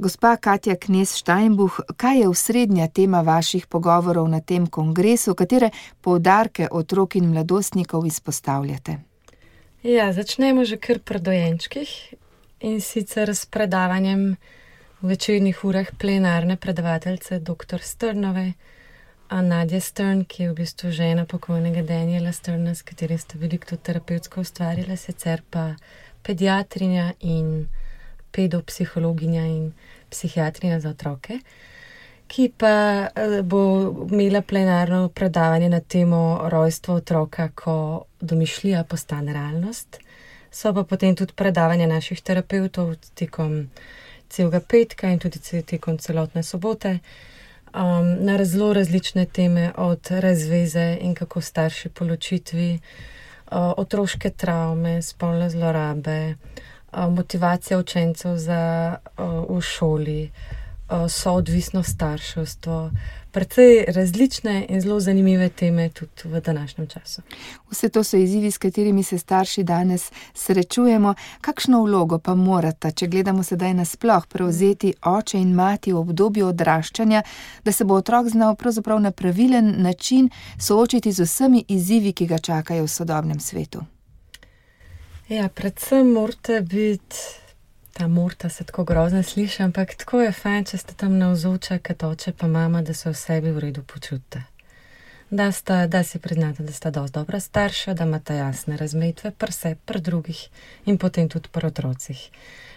Gospa Katja Knez-Steinbuch, kaj je osrednja tema vaših pogovorov na tem kongresu, katere poudarke otrok in mladostnikov izpostavljate? Ja, začnemo že kar pri dojenčkih in sicer s predavanjem v večernih urah plenarne predavateljice dr. Sternove, Nadja Stern, ki je v bistvu žena pokojnega Daniela Sterna, s katerim sta veliko tudi terapevtsko ustvarjala, sicer pa pediatrinja in pedopsihologinja in psihiatrinja za otroke, ki pa bo imela plenarno predavanje na temo rojstva otroka, ko domišljija postane realnost. So pa potem tudi predavanja naših terapevtov tekom celega petka in tudi tekom celotne sobote, na zelo različne teme, od razveze in kako starši po ločitvi, otroške travme, spolne zlorabe, motivacija učencev v šoli, soodvisno starševstvo, precej različne in zelo zanimive teme tudi v današnjem času. Vse to so izzivi, s katerimi se starši danes srečujemo. Kakšno vlogo pa morata, če gledamo sedaj nasploh, prevzeti oče in mati v obdobju odraščanja, da se bo otrok znal pravzaprav na pravilen način soočiti z vsemi izzivi, ki ga čakajo v sodobnem svetu? Ja, predvsem morate biti, ta morta se tako grozno sliši, ampak tako je fajn, če ste tam navzoča, kot oče pa mama, da se v sebi v redu počutite. Da si priznate, da sta dosti dobra starša, da imate jasne razmejitve pri sebi, pri drugih in potem tudi pri otrocih.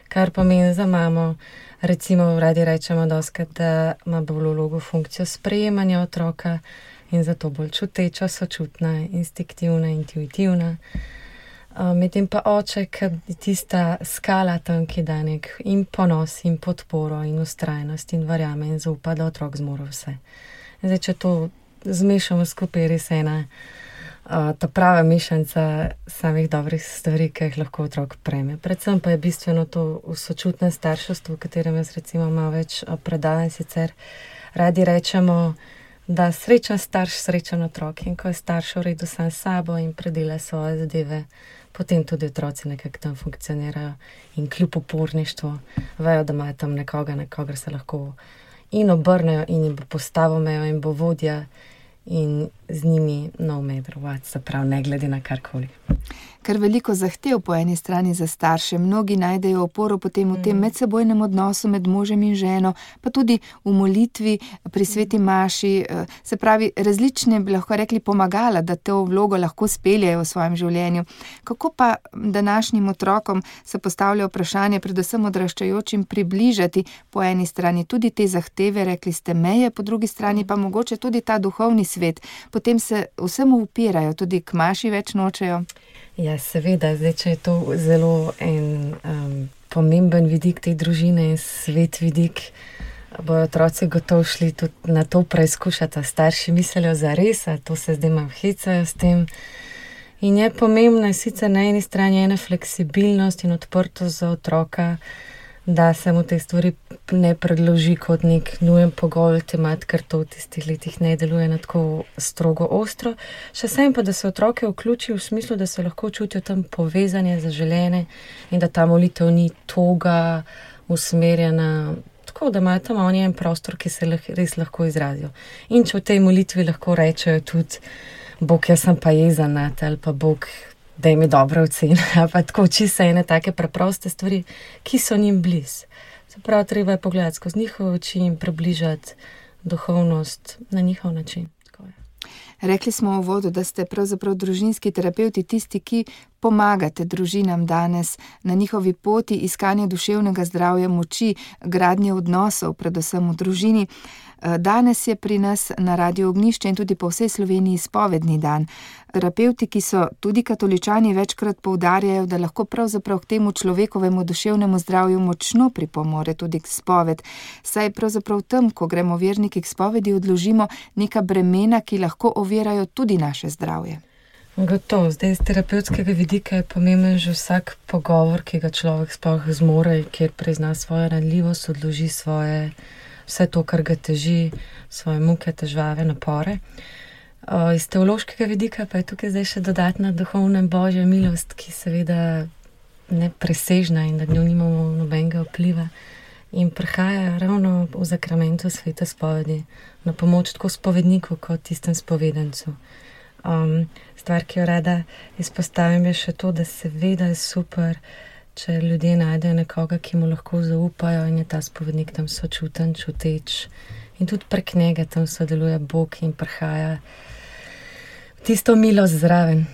Kar pomeni za mamo, recimo radi rečemo dostikrat, da ima bolj vlogo funkcijo sprejemanja otroka in zato bolj čuteča, sočutna, instinktivna, intuitivna. Medtem pa oče, ki je tista skala tam, ki da nek in ponos in podporo in ustrajnost in verjame in zaupa, da otrok zmore vse. Zdaj, če to zmešamo skupaj, res ena ta prava mešanica samih dobrih stvari, ki jih lahko otrok prejme. Predvsem pa je bistveno to v sočutnem starševstvu, v katerem jaz recimo malo več predavam, sicer radi rečemo, da srečen starš, srečen otrok, in ko je starš v redu sam s sabo in predela svoje zadeve, potem tudi otroci nekako tam funkcionirajo in kljub uporništvu vejo, da imajo tam nekoga, na kogar se lahko in obrnejo in jim bo postavil mejo in bo vodja in z njimi no matter what, se pravi, ne glede na karkoli. Ker veliko zahtev po eni strani za starše, mnogi najdejo oporo potem v tem medsebojnem odnosu med možem in ženo, pa tudi v molitvi pri sveti maši, se pravi, različne bi lahko rekli pomagala, da to vlogo lahko speljajo v svojem življenju. Kako pa današnjim otrokom se postavlja vprašanje, predvsem odraščajočim, približati po eni strani tudi te zahteve, rekli ste meje, po drugi strani pa mogoče tudi ta duhovni svet. Potem se vsemu upirajo, tudi k maši več nočejo. Ja, seveda, zdaj, če je to zelo en pomemben vidik te družine in svet vidik, bojo otroci gotovo šli tudi na to preizkušati, starši mislijo zares, a to se zdaj malo hecajo s tem. In je pomembna sicer na eni strani ena fleksibilnost in odprtost za otroka, da se mu te stvari ne predloži kot nek nujen pogoj, temat, ker to v tistih letih ne deluje na tako strogo ostro. Še sem pa, da se otroke vključi v smislu, da se lahko čutijo tam povezanje, zaželene in da ta molitev ni toga usmerjena, tako da imajo tam oni en prostor, ki se res lahko izrazijo. In če v tej molitvi lahko rečejo tudi, Bog, jaz sem pa jezen nate, ali pa Bog, da jim je dobra ocena, pa tako čisto ene take preproste stvari, ki so njim blizu. Se pravi, treba je pogledati skozi njihove oči in približati duhovnost na njihov način. Rekli smo v uvodu, da ste pravzaprav družinski terapevti tisti, ki pomagate družinam danes na njihovi poti iskanja duševnega zdravja, moči, gradnje odnosov, predvsem v družini. Danes je pri nas na Radiu Ognjišče in tudi po vsej Sloveniji spovedni dan. Terapevti, ki so tudi katoličani, večkrat poudarjajo, da lahko pravzaprav k temu človekovemu duševnemu zdravju močno pripomore tudi k spoved. Saj pravzaprav tam, ko gremo verniki k spovedi, odložimo neka bremena, ki lahko ovirajo tudi naše zdravje. Gotovo, zdaj z terapevtskega vidika je pomemben že vsak pogovor, ki ga človek sploh zmore, kjer prizna svojo ranljivost, odloži vse to, kar ga teži, svoje muke, težave, napore. Iz teološkega vidika pa je tukaj zdaj še dodatna duhovna božja milost, ki seveda ne presežna in nad njo nimamo nobenega vpliva, in prihaja ravno v zakramentu svete spovedi na pomoč tako spovedniku kot tistem spovedancu. Stvar, ki jo rada izpostavim, je še to, da seveda je super, če ljudje najdejo nekoga, ki mu lahko zaupajo in je ta spovednik tam sočuten, čuteč in tudi prek njega tam sodeluje Bog in prihaja tisto milost zraven.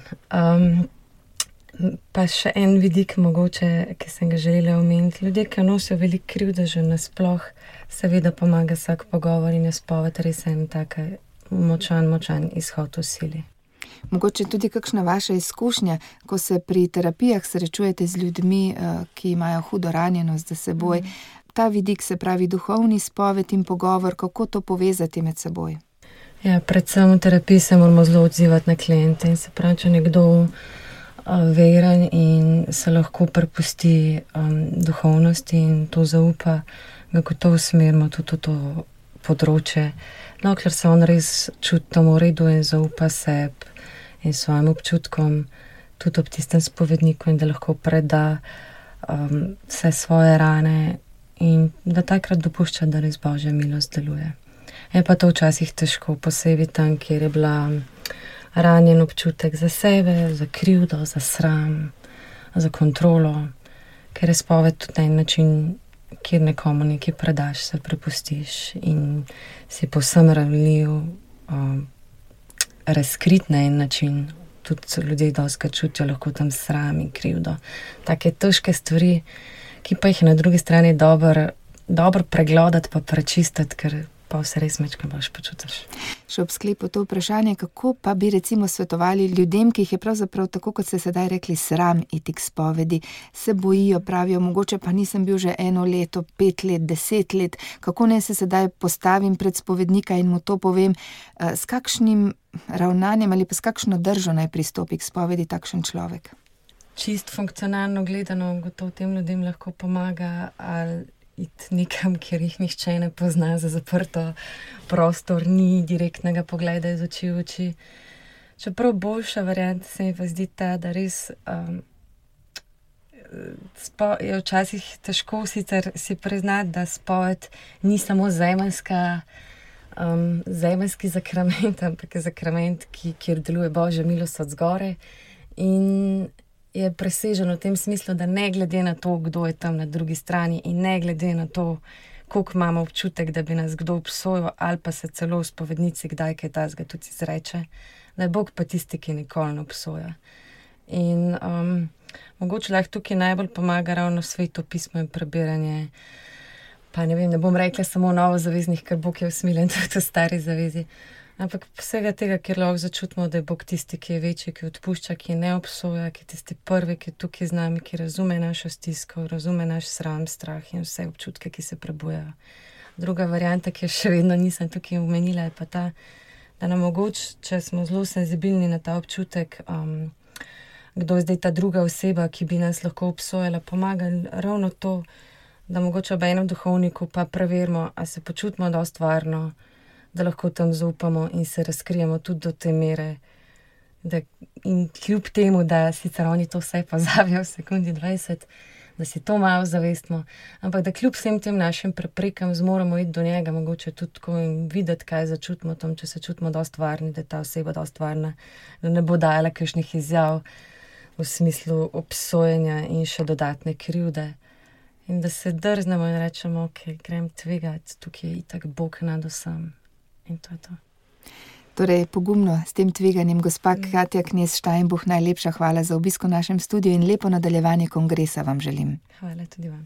Pa še en vidik mogoče, ki sem ga želela omeniti. Ljudje, ki nosijo veliko krivde že nasploh, seveda pomaga vsak pogovor in je spoved res en taka močan izhod v sili. Mogoče tudi kakšna vaša izkušnja, ko se pri terapijah srečujete z ljudmi, ki imajo hudo ranjenost za seboj. Ta vidik, se pravi duhovni spoved in pogovor, kako to povezati med seboj? Ja, predvsem v terapiji se moramo zelo odzivati na kliente in se pravi, če nekdo veren in se lahko prepusti duhovnosti in to zaupa, ga gotovo usmerimo tudi v to področje. No, ker se on res čuti tam v redu in zaupa sebi in svojim občutkom, tudi ob tistem spovedniku in da lahko preda vse svoje rane in da takrat dopušča, da res Božja milost deluje. Je pa to včasih težko, posebej tam, kjer je bila ranjen občutek za sebe, za krivdo, za sram, za kontrolo, ker je spoved tudi en način, kjer nekomu nekaj predaš, se prepustiš in si povsem ranljiv, razkrit na en način. Tudi ljudje dostikrat čutijo lahko tam sram in krivdo. Take težke stvari, ki pa jih je na drugi strani dobro pregledati pa prečistiti, ker pa vse res mečkaj boljš počutiš. Še ob sklepu to vprašanje, kako pa bi recimo svetovali ljudem, ki jih je pravzaprav tako, kot ste sedaj rekli, sram iti k spovedi, se bojijo, pravijo, mogoče pa nisem bil že 1 leto, 5 let, 10 let, kako naj se sedaj postavim pred spovednika in mu to povem, s kakšnim ravnanjem ali pa s kakšno držo naj pristopi k spovedi takšen človek? Čist funkcionalno gledano, gotovo tem ljudem lahko pomaga ali iti nekam, kjer jih nihče ne pozna, za zaprto prostor, ni direktnega pogleda iz oči v oči. Čeprav boljša varianta se mi pa zdi ta, da res je včasih težko sicer si priznati, da spoved ni samo zemeljski zakrament, ampak je zakrament, kjer deluje Božja milost od zgoraj in je presežen v tem smislu, da ne glede na to, kdo je tam na drugi strani in ne glede na to, koliko imamo občutek, da bi nas kdo obsojal ali pa se celo v spovednici kdaj kaj tazga tudi izreče, da je Bog pa tisti, ki nikoli ne obsoja. In mogoče lahko tukaj najbolj pomaga ravno Sveto pismo in prebiranje, pa ne vem, ne bom rekla samo novozaveznih, ker Bog je usmiljen tudi v stari zavezi, ampak vsega tega, kjer lahko začutimo, da je Bog tisti, ki je večji, ki odpušča, ki ne obsoja, ki je tisti prvi, ki je tukaj z nami, ki razume našo stisko, razume naš sram, strah in vse občutke, ki se prebujajo. Druga varianta, ki jo še vedno nisem tukaj omenila, je pa ta, da nam mogoče, če smo zelo senzibilni na ta občutek, kdo je zdaj ta druga oseba, ki bi nas lahko obsojala, pomaga ravno to, da mogoče ob enem duhovniku pa preverimo, a se počutimo dosti varno, da lahko tam zaupamo in se razkrijemo tudi do te mere, in kljub temu, da sicer oni to vse pozabijo v sekundi 20, da si to malo zavestimo, ampak da kljub vsem tem našim preprekam zmoremo iti do njega, mogoče tudi tako in videti, kaj začutimo tam, če se čutimo dosti varni, da je ta oseba dosti varna, da ne bo dajala kakšnih izjav v smislu obsojenja in še dodatne krivde. In da se drznemo in rečemo, ok, grem tvegati, tukaj je itak Bog nad vsem. In to je to. Torej, pogumno s tem tveganjem, gospa Katja Knez Steinbuch, najlepša hvala za obisk v našem studiu in lepo nadaljevanje kongresa vam želim. Hvala tudi vam.